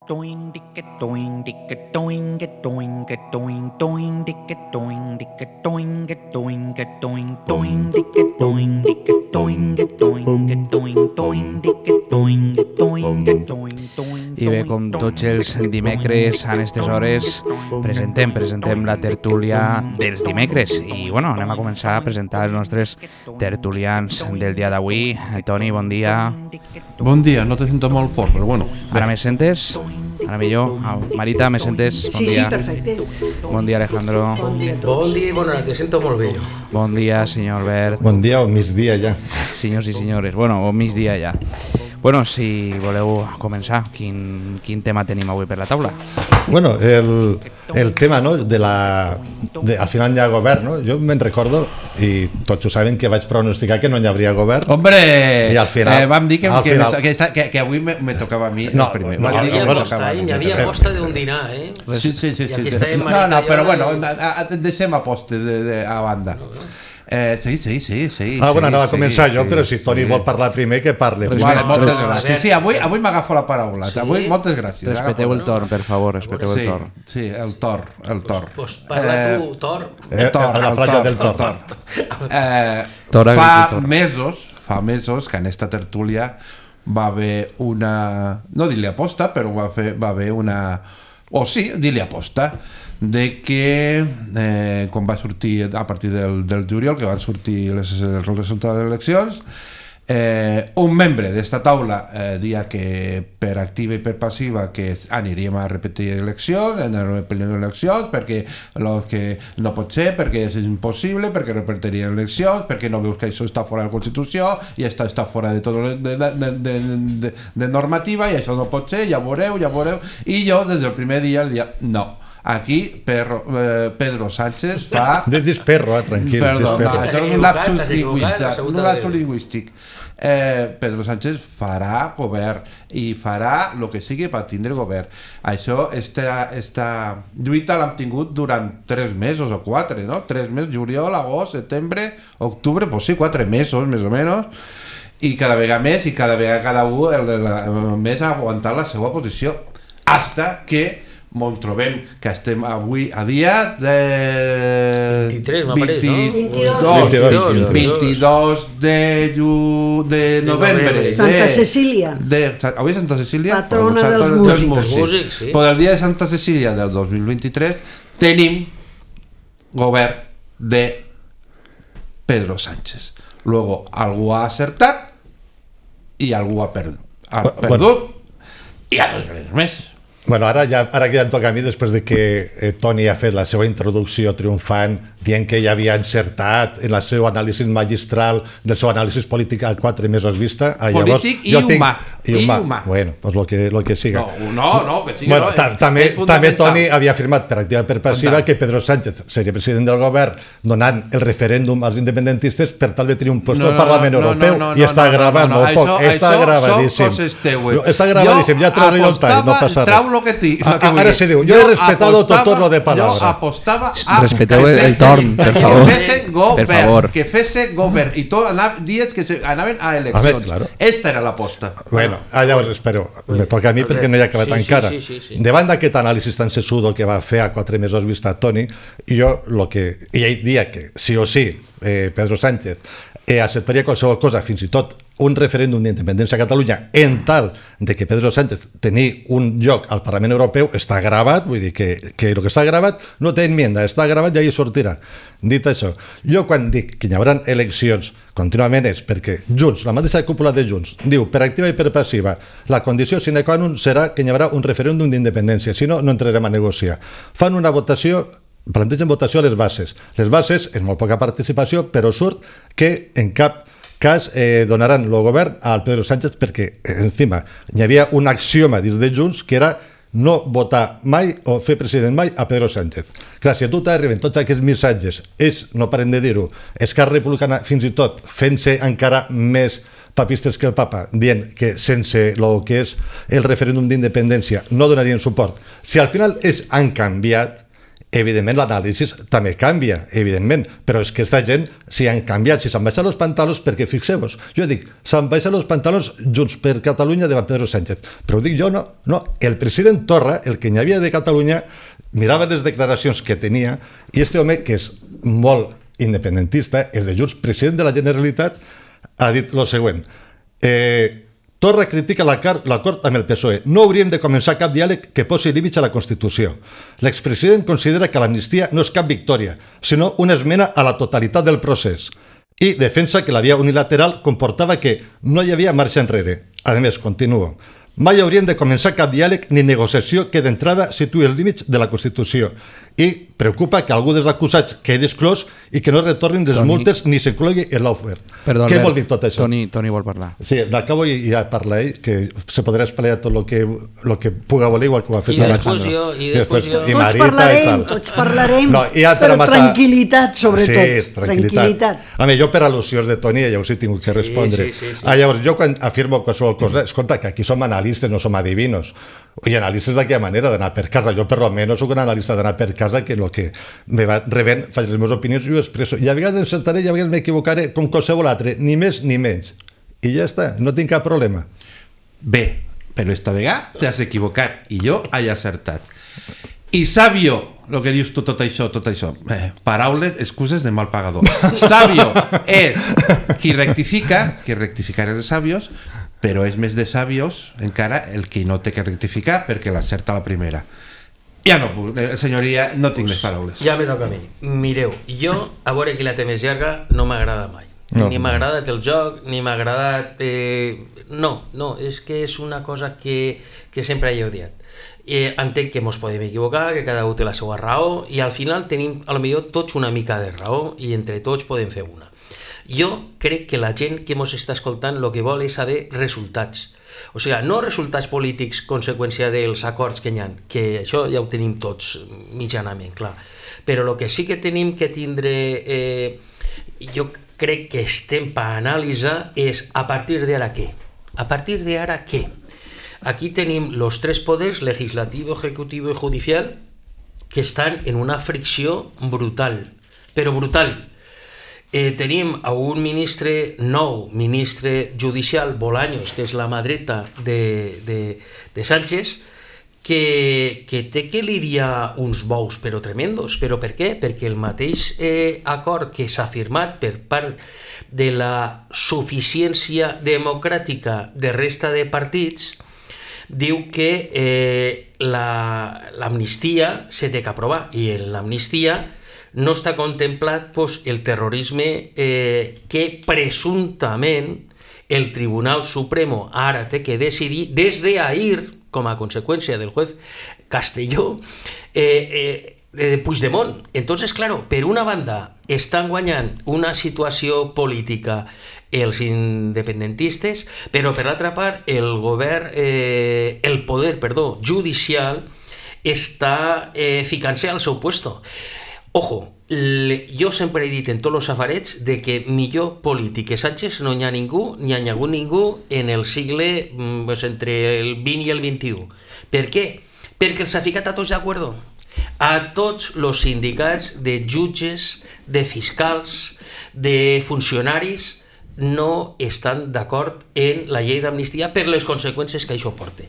I bé, com tots els dimecres a aquestes hores presentem la tertúlia dels dimecres i bueno, anem a començar a presentar els nostres tertulians del dia d'avui. Toni, bon dia. Bon dia, no te sento molt fort, però bueno. Ara me sentes? Ara millor? Marita, me sentes? Bon dia. Sí, perfecte. Bon dia, Alejandro. Bon dia a tots. Bon dia i bona nit, te sento molt bé. Bon dia, senyor Albert. Bon dia o migdia ja. Senyors i senyores, bueno, o migdia ja. Bueno, si voleu començar, quin tema tenim avui per la taula? Bueno, el tema, no, al final hi ha govern, no? Jo me'n recordo, i tots ho saben, que vaig pronosticar que no hi hauria govern. Hombre, i al final, vam dir que avui me tocava a mi el primer. Hi havia aposta d'un dinar, eh? Sí. No, però bueno, deixem aposta a banda. Sí. Bueno, anava a començar jo, però si Toni vol parlar primer, que parli. Vale, moltes gràcies. Sí, avui m'agafo la paraula. Avui, moltes gràcies. Respecteu el torn, per favor, respecteu el torn. Sí, el torn. Pues parla tu, Tor. A la platja del Tor. Fa mesos que en esta tertúlia va haver una... No dir-li aposta, però va haver una... O sí, dir-li aposta de que quan va sortir a partir del juliol, que van sortir els resultats de les eleccions, un membre d'esta taula dia que per activa i per passiva que aniríem a repetir eleccions, perquè el que no pot ser, perquè és impossible, perquè repetirien eleccions, perquè no veus que això està fora de la Constitució i està fora de tot de normativa i això no pot ser, ja veureu. I jo des del primer dia el dia no. Aquí Pedro Sánchez fa... Dis perro, tranquil. Perdó, això és un lapsus lingüístic. Pedro Sánchez farà govern i farà el que sigui per tindre govern. Això, esta lluita l'hem tingut durant 3 mesos o 4, no? 3 mesos, juliol, agost, setembre, octubre, pues sí, 4 mesos més o menys, i cada vegada més i cada vegada cada un més ha aguantat la seva posició hasta que ens trobem que estem avui a dia de 23, m'apareix, no? 22 de novembre. Santa Cecília. Avui és Santa Cecília? Patrona dels músics. Sí. Però el dia de Santa Cecília del 2023 tenim govern de Pedro Sánchez. Luego, algú ha acertat i algú ha perdut i ha perdut més. Bueno, ara que ja em toca a mi, després de que Toni ha fet la seva introducció triomfant dient que ja havia encertat en el seu anàlisi magistral del seu anàlisi polític a 4 mesos vista. Polític i humà. Bueno, pues lo que siga. No, que siga. Bueno, també Toni havia afirmat per activa i per passiva que Pedro Sánchez seria president del govern donant el referèndum als independentistes per tal de tenir un lloc al Parlament Europeu i està gravat, no poc, està gravadíssim. Està gravadíssim, ja trobo jo el tall, no passa res. Ara se diu, jo he respetado tot lo de palabra. Jo apostava a... Respeteu el torn, per favor. Que fese govern i tot dies que anaven a eleccions. Esta era l'aposta. Bueno, llavors, espero, me toca a mi perquè no hi ha acabat encara. Davant d'aquest anàlisi tan sesudo que va fer a 4 mesos vista Toni, jo ell dia que sí o sí Pedro Sánchez acceptaria qualsevol cosa, fins i tot un referèndum d'independència a Catalunya, en tal de que Pedro Sánchez tenir un lloc al Parlament Europeu, està gravat, vull dir que el que està gravat no té enmienda, està gravat i ahí sortirà. Dit això, jo quan dic que hi haurà eleccions contínuament és perquè Junts, la mateixa cúpula de Junts, diu per activa i per passiva, la condició sine qua non serà que hi haurà un referèndum d'independència, si no, no entrarem a negociar. Fan una votació, plantegen votació a les bases. Les bases, és molt poca participació, però surt que en cap cas donaran el govern al Pedro Sánchez perquè, encima, hi havia un axioma dins de Junts que era no votar mai o fer president mai a Pedro Sánchez. Clar, si a tu t'arriben tots aquests missatges, ells no paren de dir-ho, Esquerra Republicana fins i tot fent-se encara més papistes que el papa, dient que sense el que és el referèndum d'independència no donarien suport. Si al final han canviat evidentment l'anàlisi també canvia, evidentment, però és que aquesta gent s'hi han canviat, si s'han baixat els pantalons, perquè fixeu-vos, jo dic, s'han baixat els pantalons Junts per Catalunya davant Pedro Sánchez, però ho dic jo, no, el president Torra, el que hi havia de Catalunya, mirava les declaracions que tenia, i este home, que és molt independentista, és de Junts, president de la Generalitat, ha dit el següent, Torra critica l'acord amb el PSOE. No hauríem de començar cap diàleg que posi límits a la Constitució. L'expresident considera que l'amnistia no és cap victòria, sinó una esmena a la totalitat del procés. I defensa que la via unilateral comportava que no hi havia marxa enrere. A més, continuo. Mai hauríem de començar cap diàleg ni negociació que d'entrada situï els límits de la Constitució. I preocupa que algú dels acusats quedi exclòs i que no retornin les multes ni s'inclogui en l'offert. Què vol dir tot això? Toni vol parlar. Sí, l'acabo i ja parla ell, que se podrà esplegar tot el que puga voler, igual que ho ha fet Alejandro. I després jo. Tots parlarem, però tranquil·litat, sobretot. Sí, tranquil·litat. A mi, jo per al·lusions de Toni, ja us he tingut que respondre. Llavors, jo quan afirmo qualsevol cosa, escolta, que aquí som analistes, no som adivinos. I analistes d'aquella manera d'anar per casa. Jo, per almenys, soc un analista d'anar per casa, que el que me va rebent, faig les meves opinions i ho expresso. I a vegades encertaré i a vegades m'equivocaré com qualsevol altre, ni més ni menys. I ja està, no tinc cap problema. Bé, però esta vegada t'has equivocat i jo he acertat. I Sabio, el que dius tu, tot això. Paraules, excuses de mal pagador. Sabio és qui rectifica, qui rectificar és de sabios, però és més de sabios encara el que no té que rectificar perquè l'acerta la primera. Ja no puc, senyoria, no tinc més paraules. Ja me toca a mi. Mireu, jo, a veure qui la té més llarga, no m'agrada mai. Ni m'ha agradat el joc, ni m'ha agradat... No, és que és una cosa que sempre he odiat. Entenc que ens podem equivocar, que cada un té la seva raó, i al final tenim, potser tots una mica de raó, i entre tots podem fer una. Jo crec que la gent que ens està escoltant el que vol és saber resultats. O sigui, no resultats polítics conseqüència dels acords que hi ha, que això ja ho tenim tots mitjanament, clar. Però el que sí que tenim que tindre, jo crec que estem per analitzar és a partir d'ara què? A partir d'ara què? Aquí tenim els tres poders, legislativo, ejecutivo i judicial, que estan en una fricció brutal, però brutal. Tenim a un nou ministre judicial, Bolaños, que és la mà dreta de Sánchez, que té que lidiar uns bous però tremendos. Però per què? Perquè el mateix acord que s'ha firmat per part de la suficiència democràtica de resta de partits diu que l'amnistia s'ha d'aprovar, i en l'amnistia no està contemplat el terrorisme que presumptament el Tribunal Supremo ara té que decidir des d'ahir, com a conseqüència del juez Castelló, Puigdemont. Entonces, claro, per una banda estan guanyant una situació política els independentistes, però per l'altra part el poder judicial està ficant-se al seu puesto. Ojo, jo sempre he dit en tots els safarets de que millor polític que Sánchez no hi ha ningú, ni ha hagut ningú en el segle entre el 20 i el 21. Per què? Perquè els ha ficat a tots d'acord. A tots els sindicats de jutges, de fiscals, de funcionaris no estan d'acord en la llei d'amnistia per les conseqüències que això porta.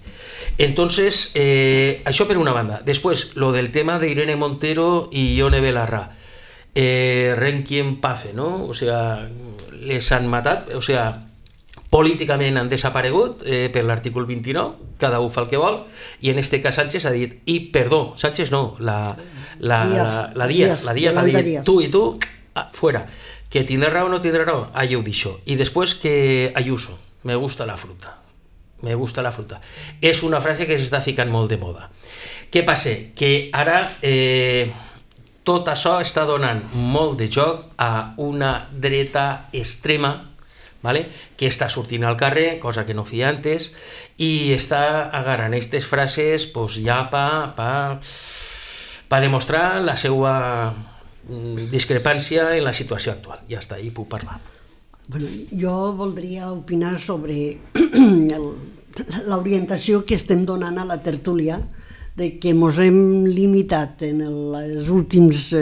Entonces, això per una banda. Després, lo del tema d'Irene Montero i Ione Belarra. Requiem pace, ¿no? O sea, les han matat, o sea, políticament han desaparegut per l'artícul 29, cada un fa el que vol, i en este cas Sánchez ha dit, Sánchez no, la Díaz ha dit, tu i tu, fuera. Que tindrà raó o no tindrà raó, allà ho deixo. I després que Ayuso, me gusta la fruta. Me gusta la fruta. És una frase que s'està ficant molt de moda. Què passa? Que ara tot això està donant molt de joc a una dreta extrema, que està sortint al carrer, cosa que no feia antes, i està agarrant aquestes frases ja per demostrar la seva discrepància en la situació actual. Ja està, hi puc parlar. Jo voldria opinar sobre l'orientació que estem donant a la tertúlia de que ens hem limitat en els últims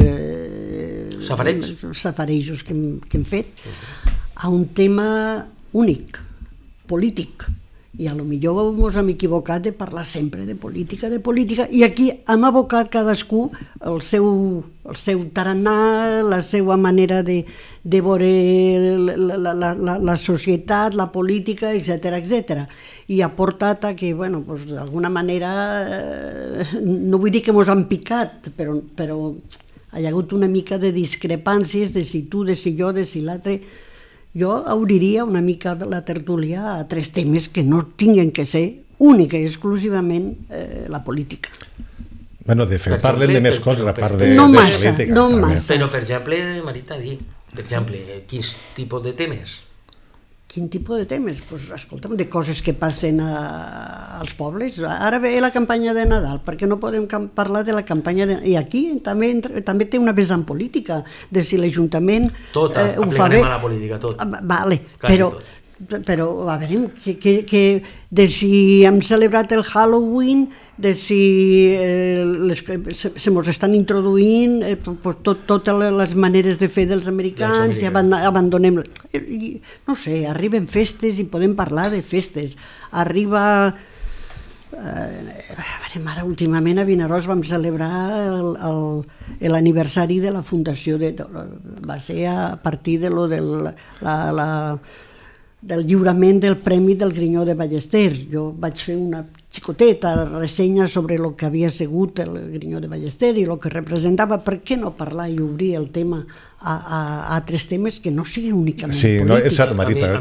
safarejos que hem fet a un tema únic, polític. I a lo millor ens hem equivocat de parlar sempre de política, i aquí hem abocat cadascú el seu tarannà, la seva manera de veure la societat, la política, etc. I ha portat a que, d'alguna manera, no vull dir que ens han picat, però hi ha hagut una mica de discrepàncies de si tu, de si jo, de si l'altre. Jo obriria una mica la tertúlia a 3 temes que no tinguin que ser única i exclusivament la política. Bueno, de fet, parlen de més coses a part de política. No massa. Però, per exemple, Marita, quins tipus de temes? Quin tipus de temes? Doncs, escolta'm, de coses que passen als pobles. Ara ve la campanya de Nadal, perquè no podem parlar de la campanya de... I aquí també té una vessant política, de si l'Ajuntament ho fa bé. Tot, aplicarem a la política, tot. Vale, però a veure, de si hem celebrat el Halloween, de si se mos estan introduint totes les maneres de fer dels americans i abandonem... No sé, arriben festes i podem parlar de festes. Arriba... Ara últimament a Vinaròs vam celebrar l'aniversari de la fundació, va ser a partir de del lliurament del Premi del Grinyó de Ballester. Jo vaig fer una xicoteta ressenya sobre el que havia sigut el Grinyó de Ballester i el que representava. Per què no parlar i obrir el tema a altres temes que no siguin únicament polítics? Sí, no, és cert, Marita.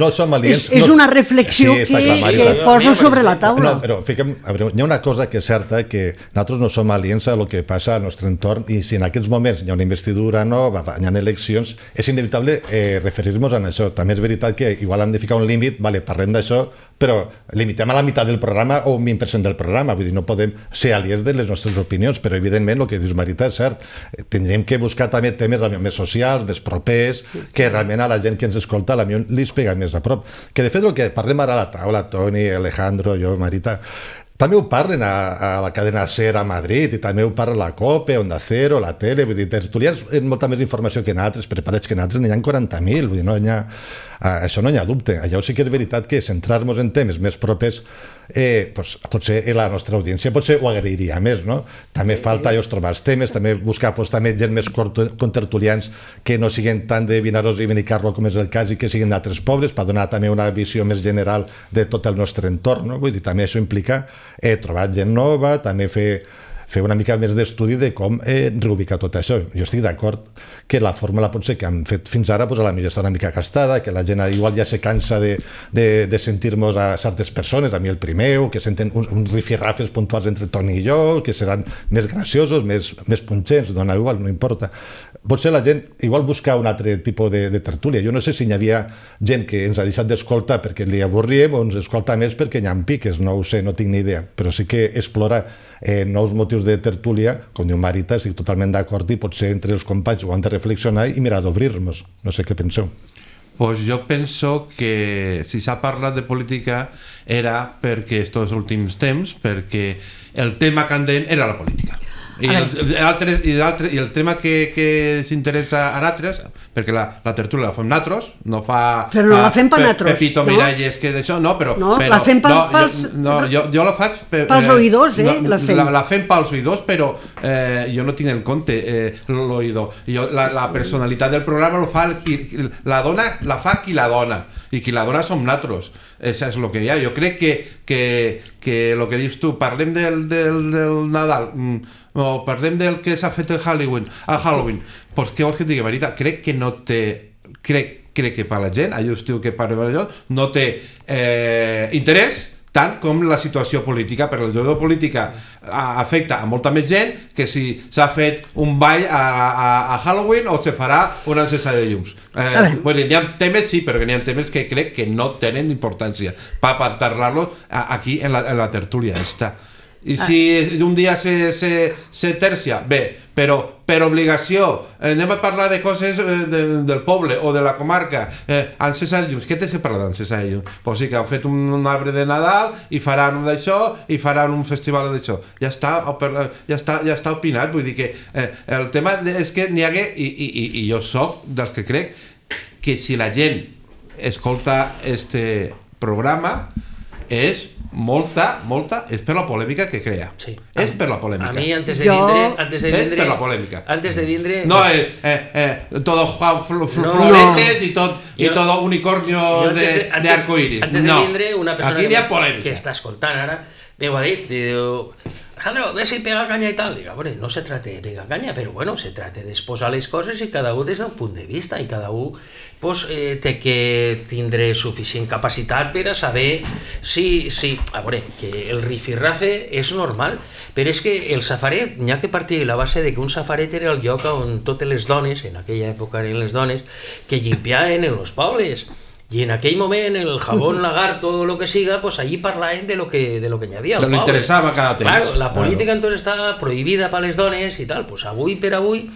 No som aliens. És una reflexió que poso sobre la taula. No, però hi ha una cosa que és certa, que nosaltres no som aliens a el que passa al nostre entorn, i si en aquests moments hi ha una investidura nova, hi ha eleccions, és inevitable referir-nos a això. També és veritat que igual hem de ficar un límit, parlem d'això, però limitem a la meitat del programa o un 20% del programa, vull dir, no podem ser aliens de les nostres opinions, però evidentment el que dius, Marita, és cert, tindríem que buscar també temes més socials, més propers, que realment a la gent que ens escolta a la millor li pega més a prop. Que de fet el que parlem ara a la taula, Toni, Alejandro, jo, Marita, també ho parlen a la cadena SER a Madrid, i també ho parla la COPE, Onda Cero, la tele, vull dir, tertulians amb molta més informació que nosaltres, preparats que nosaltres, n'hi ha 40.000, vull dir, no hi ha... Això no hi ha dubte. Allò sí que és veritat que centrar-nos en temes més propers potser la nostra audiència potser ho agrairia més, no? També falta trobar els temes, també buscar també gent més contertulians que no siguin tant de Vinaròs i Benicarlo com és el cas, i que siguin d'altres pobles, per donar també una visió més general de tot el nostre entorn, no? Vull dir, també això implica trobar gent nova, també fer una mica més d'estudi de com reubicar tot això. Jo estic d'acord que la fórmula potser que hem fet fins ara a la millor està una mica gastada, que la gent igual ja se cansa de sentir-nos a certes persones, a mi el primer, que senten uns rifirrafes puntuals entre Toni i jo, que seran més graciosos, més punxents, dona igual, no importa. Potser la gent igual busca un altre tipus de tertúlia. Jo no sé si hi havia gent que ens ha deixat d'escoltar perquè li avorríem o ens escolta més perquè hi ha piques, no ho sé, no tinc ni idea, però sí que explora nous motius de tertúlia, com diu Marita, estic totalment d'acord, i potser entre els companys ho han de reflexionar i mirar d'obrir-nos. No sé què penseu. Pues jo penso que si s'ha parlat de política era perquè estos últims temps, perquè el tema candent era la política. I el tema que s'interessa a nosaltres, perquè la tertúlia la fem nosaltres, no fa... Però no la fem per nosaltres, Pepito Miralles, que d'això, no, però... No, la fem pels... Jo la faig... Pels oïdors, la fem. La fem pels oïdors, però jo no tinc en compte l'oïdor. La personalitat del programa la fa qui la dona, i qui la dona som nosaltres. Això és el que hi ha. Jo crec que el que dius tu, parlem del Nadal, o parlem del que s'ha fet a Halloween, doncs què vols que et digui, Marita? Crec que no té... Crec que per la gent, allò estiu que parlem d'allò, no té interès tant com la situació política, perquè la situació política afecta a molta més gent que si s'ha fet un ball a Halloween o se farà una encesa de llums. N'hi ha temes, sí, però n'hi ha temes que crec que no tenen importància per parlar-los aquí en la tertúlia esta. I si un dia se tercia, bé, però per obligació anem a parlar de coses del poble o de la comarca, han cessat llums. Què tens que parlar d'en cessat llums? Pues sí que han fet un arbre de Nadal i faran d'això i faran un festival d'això. Ja està opinat, vull dir que el tema és que n'hi hagué, i jo soc dels que crec que si la gent escolta este programa és molta, és per la polèmica que crea. Sí. És per la polèmica. A mi, antes de vindre... És per la polèmica. Antes de vindre... No, todo floretes y todo unicornio de arcoiris. Antes de vindre, una persona que està escoltant ara, m'ho ha dit, diu... Alejandro, ve si pega caña y tal. Digo, bueno, no se trata de pegar caña, pero bueno, se trata de exposar les coses i cada un des d'un punt de vista i cada un pues, té que tindre suficient capacitat per a saber si... A veure, que el rifirrafe és normal, però és que el safaret, n'hi ha que partir de la base de que un safaret era el lloc on totes les dones, en aquella època eren les dones, que llimpiaven en els pobles. Y en aquell moment el jabón lagarto o lo que siga, pues allí parlaven de lo que n'hi havia al poble. Lo interessava cada temps. Claro, la política entonces està prohibida per les dones i tal, pues avui per avui,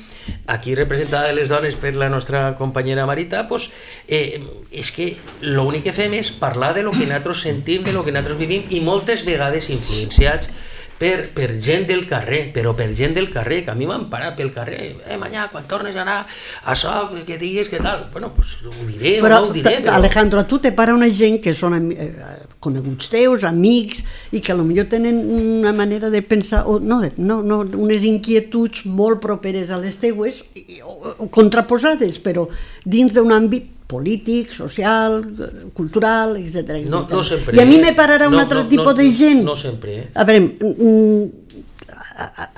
aquí representada les dones per la nostra companyera Marita, pues és que l'únic que fem és parlar de lo que nosaltres sentim, de lo que nosaltres vivim i moltes vegades influenciats per gent del carrer, però per gent del carrer, que a mi m'han parat pel carrer, Manyà, quan tornes a anar a això, que diguis que tal, bueno, pues ho diré o no ho diré, però... Alejandro, a tu te para una gent que són coneguts teus, amics, i que potser tenen una manera de pensar, o no, unes inquietuds molt properes a les teues, o contraposades, però dins d'un àmbit polític, social, cultural, etc. No sempre. I a mi me pararà un altre tipus de gent. No sempre. A veure,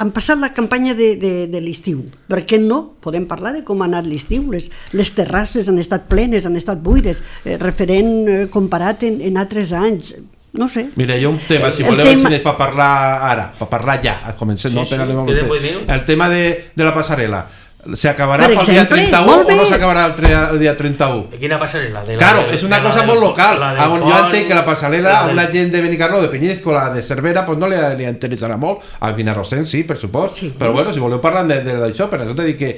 han passat la campanya de l'estiu. Per què no? Podem parlar de com ha anat l'estiu. Les terrasses han estat plenes, han estat buides, referent comparat en altres anys. No sé. Mira, hi ha un tema, si voleu, per parlar ara, per parlar ja, comencem, no pegar-li molt el tema de la passarel·la. ¿Se acabará el día 31 o no se acabará el día 31? Quina passarel·la? Claro, és una cosa molt local. Jo entenc que la passarel·la a una gent de Benicarló, de Penyíscola, de Cervera, pues no li interessarà molt. Al Vinarrosenc sí, per supost. Però bueno, si voleu parlar d'això, per això t'he dit que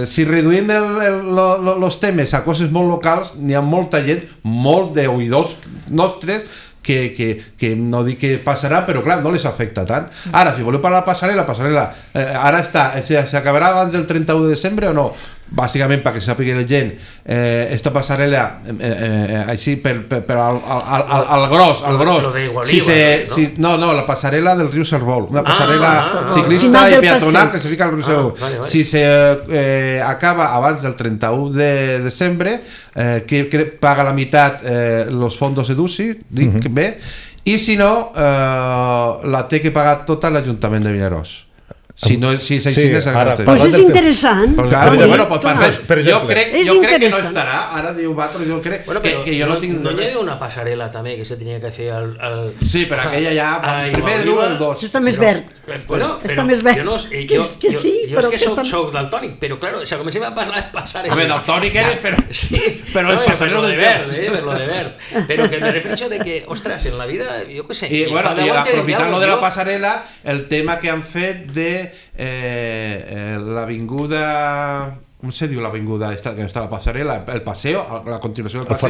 si reduïm els temes a coses molt locals, n'hi ha molta gent, molt d'oïdors nostres, que no dic que passarà, però clar, no les afecta tant. Ara, si voleu parlar de la passarel·la ara s'acabarà abans del 31 de desembre o no? Bàsicament, perquè sàpiga la gent, esta passarel·la així per al gros, no, la passarel·la del riu Servol, una passarel·la ciclista i peatonal que se fica al riu Servol. Si s'acaba abans del 31 de desembre, que paga la meitat els fondos EDUSI, dic bé, i si no, la té que pagar tota l'Ajuntament de Vinaròs. Si no, si s'aixines pues és interessant. Jo crec que no estarà. Ara diu Bato, jo crec que jo no tinc... No hi havia una passarel·la també que se tenia que fer al... Sí, però aquella ja... Primer diu el 2. Està més verd. Està més verd. Que sí, però... Jo és que soc daltònic, però claro, si comencem a parlar de passarel·la... A veure, daltònic eres, però... Per lo de verd. Però que me refereixo de que, ostres, en la vida, jo què sé... I aprofitant lo de la passarel·la, el tema que han fet de l'avinguda, com se diu l'avinguda que està a la passarel·la, el paseo, la continuació del paseo,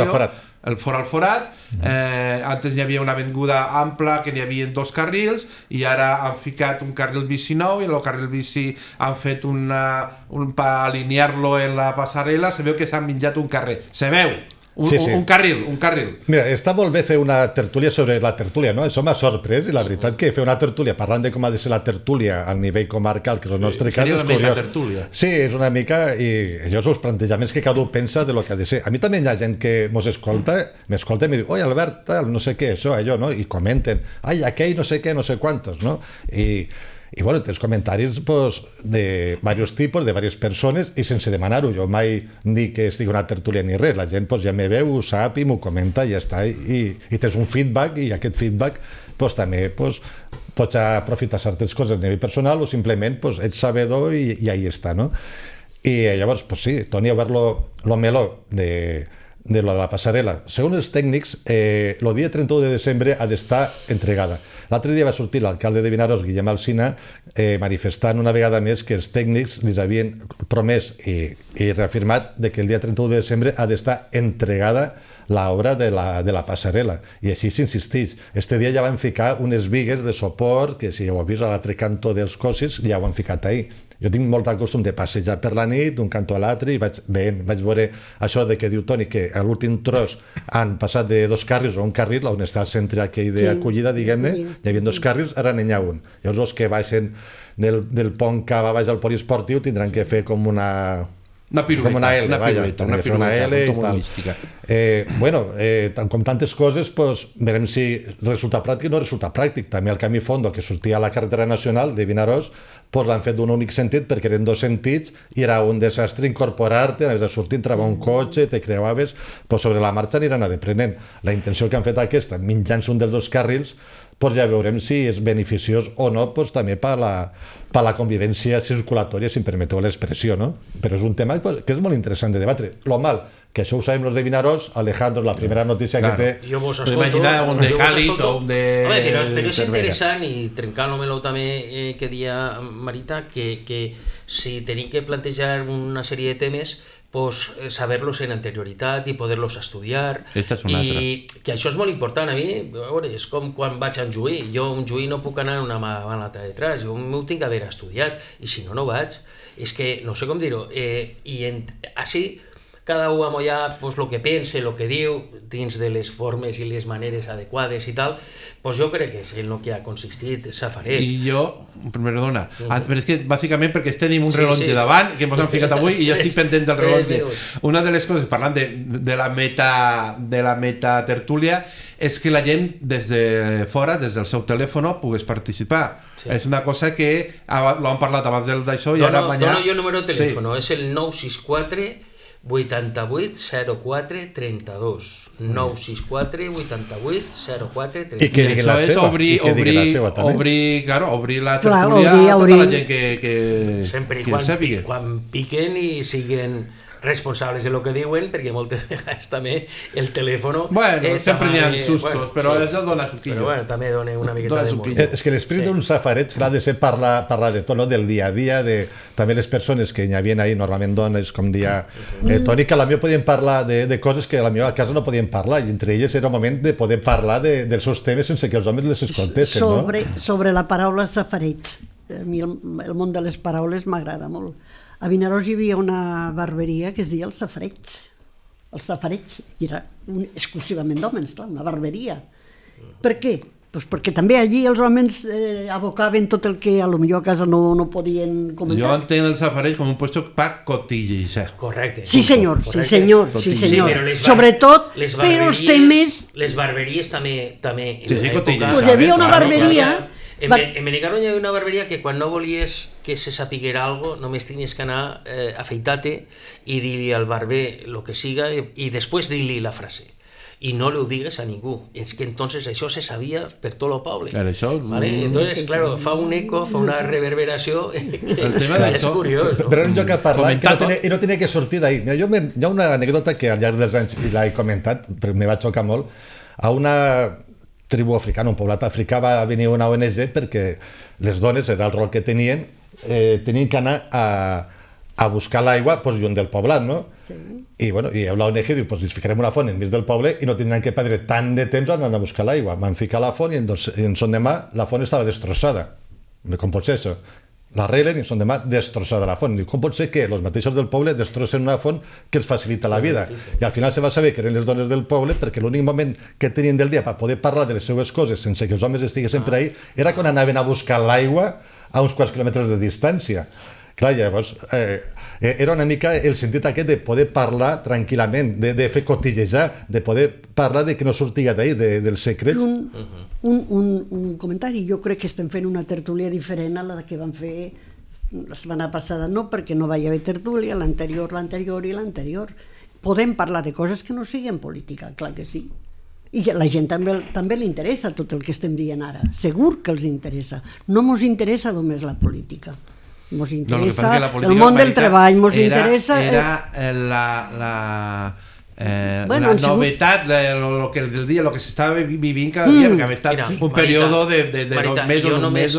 el fora al forat. Antes hi havia una avinguda ampla que n'hi havia 2 carrils i ara han ficat un carril bici nou i el carril bici han fet per alinear-lo en la passarel·la, se veu que s'han menjat un carrer, se veu. Un carril. Mira, està molt bé fer una tertúlia sobre la tertúlia, no? Això m'ha sorprès, i la veritat que fer una tertúlia parlant de com ha de ser la tertúlia al nivell comarcal, que és el nostre cas, és curiós. Sí, és una mica, i allò són els plantejaments que cada un pensa de lo que ha de ser. A mi també hi ha gent que m'escolta i me diu, oi, Albert, tal, no sé què, això, allò, no? I comenten, ai, aquell no sé què, no sé quantos, no? I bueno, tens comentaris de diversos tipus, de diverses persones, i sense demanar-ho. Jo mai dic que estigui una tertúlia ni res. La gent ja me veu, ho sap i m'ho comenta i ja està. I tens un feedback, i aquest feedback també pots aprofitar certes coses a nivell personal o simplement ets sabedor i ahí està, no? I llavors, sí, torni a veure lo meló de la passarel·la. Segons els tècnics, el dia 31 de desembre ha d'estar entregada. L'altre dia va sortir l'alcalde de Vinaròs, Guillem Alsina, manifestant una vegada més que els tècnics li havien promès i reafirmat que el dia 31 de desembre ha d'estar entregada l'obra de la passarel·la. I així s'insisteix. Este dia ja van ficar unes bigues de suport, que si ho heu vist a l'altre cantó dels cossis, ja ho han ficat ahir. Jo tinc molt de costum de passejar per la nit d'un cantó a l'altre i vaig veure això de que diu Toni que a l'últim tros han passat de 2 carrils a un carril, on està el centre aquell d'acollida, diguem-ne, hi havia 2 carrils, ara n'hi ha un. Llavors els que baixen del pont cap a baix al poliesportiu tindran que fer com una pirueta, com una L, una L i tal. Com tantes coses, veurem si resulta pràctic o no resulta pràctic. També el camí Fondo, que sortia a la carretera nacional de Vinaròs, l'han fet d'un únic sentit perquè eren 2 sentits i era un desastre incorporar-te, anaves a sortir, entrava un cotxe, te creuaves, sobre la marxa aniran deprenent. La intenció que han fet aquesta, mitjant un dels 2 carrils, ja veurem si és beneficiós o no, també per la convivència circulatòria, si em permeteu l'expressió, no? Però és un tema que és molt interessant de debatre. Lo mal, que això ho sabem los de Vinaròs, Alejandro, la primera notícia que té... Jo vos escolto... un de Càlit o un de... Però és interessant, i trencant-lo també que dia Marita, que si tenim que plantejar una sèrie de temes, saber-los en anterioritat i poder-los estudiar, i que això és molt important. A mi, és com quan vaig a un juí, jo un juí no puc anar una mà a l'altra detrás, jo m'ho tinc que haver estudiat, i si no vaig. És que no sé com dir-ho, i així cada un amollar el que pensa, el que diu, dins de les formes i les maneres adequades i tal, jo crec que és en el que ha consistit Safareig. I jo, perdona, però és que bàsicament perquè tenim un rellotge davant, que ens hem ficat avui, i jo estic pendent del rellotge. Una de les coses, parlant de la meta tertúlia, és que la gent des de fora, des del seu telèfon, pogués participar. És una cosa que ho hem parlat abans d'això i ara mañana... Dono jo el número de telèfon, és el 964 88 04 32 964 88 04 32. I que digui la seva. Obrir la tertúlia a tota la gent que sempre quan piquen i siguen responsables de lo que diuen, perquè moltes vegades també el telèfon... sempre n'hi ha sustos, però això dona suquillo. Però també dona una miqueta de molt. És que l'esprit d'un safareig ha de ser parlar de tot, del dia a dia, també les persones que hi havia ahir, normalment dones, com dia Toni, que a la millor podien parlar de coses que a la millor a casa no podien parlar, i entre elles era un moment de poder parlar dels seus temes sense que els homes les escoltessin. Sobre la paraula safareig, a mi el món de les paraules m'agrada molt. A Vinaròs hi havia una barberia que es deia el Safareig, i era exclusivament d'homes, una barberia. Per què? Perquè també allí els homes abocaven tot el que a lo millor a casa no podien comentar. Jo entenc el Safareig com un puesto per cotillejar. Correcte. Sí senyor. Sobretot, però els temes... Les barberies també... Sí, cotillejar. Hi havia una barberia... En Benicarló hi havia una barberia que quan no volies que se sapiguera algo només tenies que anar afeitar-te i dir-li al barber el que siga i després dir-li la frase. I no ho digues a ningú. És que entonces això se sabia per tot el poble. Claro, això... Entonces, claro, fa un eco, fa una reverberació que és curiós. Però era un joc a parlar i no tenia que sortir d'ahir. Hi ha una anècdota que al llarg dels anys l'he comentat, però me va xocar molt. A una tribu africana, un poblat africà, va venir una ONG perquè les dones, era el rol que tenien que anar a buscar l'aigua lluny del poblat, no? I l'ONG diu, ens ficarem una font enmig del poble i no tindran que perdre tant de temps anant a buscar l'aigua. Van ficar la font i en son demà la font estava destrossada. Com pot ser això? L'arreglen i en son demà destrossada la font. Diu, com pot ser que els mateixos del poble destrossen una font que els facilita la vida? I al final se va saber que eren les dones del poble perquè l'únic moment que tenien del dia per poder parlar de les seues coses sense que els homes estiguessin per ahí era quan anaven a buscar l'aigua a uns quants quilòmetres de distància. Clar, llavors, era una mica el sentit aquest de poder parlar tranquil·lament, de fer cotillejar, de poder parlar de que no sortia d'ahir, dels secrets. Un comentari, jo crec que estem fent una tertúlia diferent a la que vam fer la setmana passada, no perquè no va haver tertúlia, l'anterior i l'anterior. Podem parlar de coses que no siguin política, clar que sí. I a la gent també li interessa tot el que estem dient ara, segur que els interessa. No ens interessa només la política. Ens interessa el món del treball, ens interessa... Era la novetat del que s'estava vivint cada dia, perquè havia estat un període de 2 mesos o un mes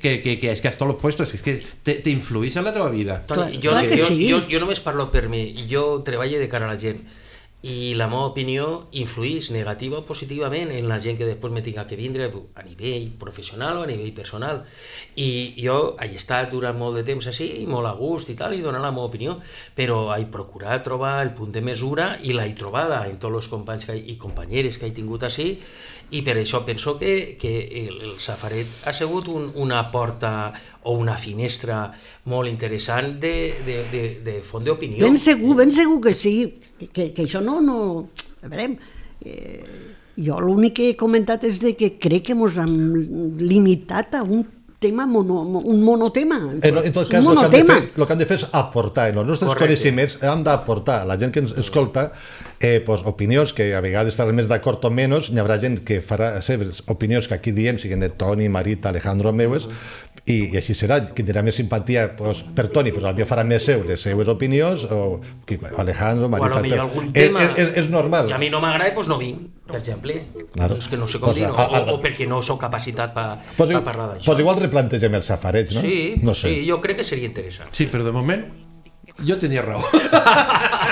que és que hasta los puestos és que t'influís en la teva vida. Toni, jo només parlo per mi, jo treballo de cara a la gent i la meva opinió influís negativa o positivament en la gent que després me tinga que vindre a nivell professional o a nivell personal, i jo he estat durant molt de temps així, molt a gust i tal, i donar la meva opinió, però he procurat trobar el punt de mesura i l'he trobada en tots els companys i companyeres que he tingut així, i per això penso que el Safaret ha sigut una porta o una finestra molt interessant de font d'opinió. Ben segur que sí, que això no... A veure, jo l'únic que he comentat és que crec que ens hem limitat a un tema, un monotema. En tot cas, el que han de fer és aportar. En els nostres coneixements hem d'aportar a la gent que ens escolta opinions que a vegades estarà més d'acord o menys. N'hi haurà gent que farà les seves opinions que aquí diem, siguin de Toni, Marita, Alejandro, meues, i així serà. Qui tindrà més simpatia per Toni, potser farà més les seues opinions, o Alejandro, Marita... O potser algun tema... És normal. I a mi no m'agrada, doncs no vinc, per exemple. És que no sé com dir, o perquè no soc capacitat per parlar d'això. Doncs igual replantegem els safarets, no? Sí, jo crec que seria interessant. Sí, però de moment jo tenia raó.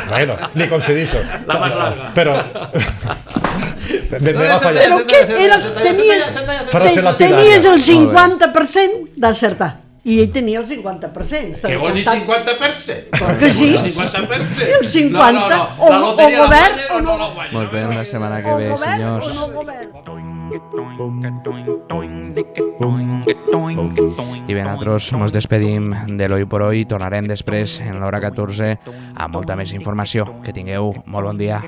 Bueno, li concedixo. La més larga. Però... Però què? Tenies el 50% d'acertar. I ell tenia el 50%. Què vol dir 50%? Clar que sí. El 50%? El 50%. O govern o no govern. Mos veiem la setmana que ve, senyors. O no govern. I bé, nosaltres ens despedim de l'Hoy por Hoy. Tornarem després en l'hora 14 amb molta més informació. Que tingueu molt bon dia.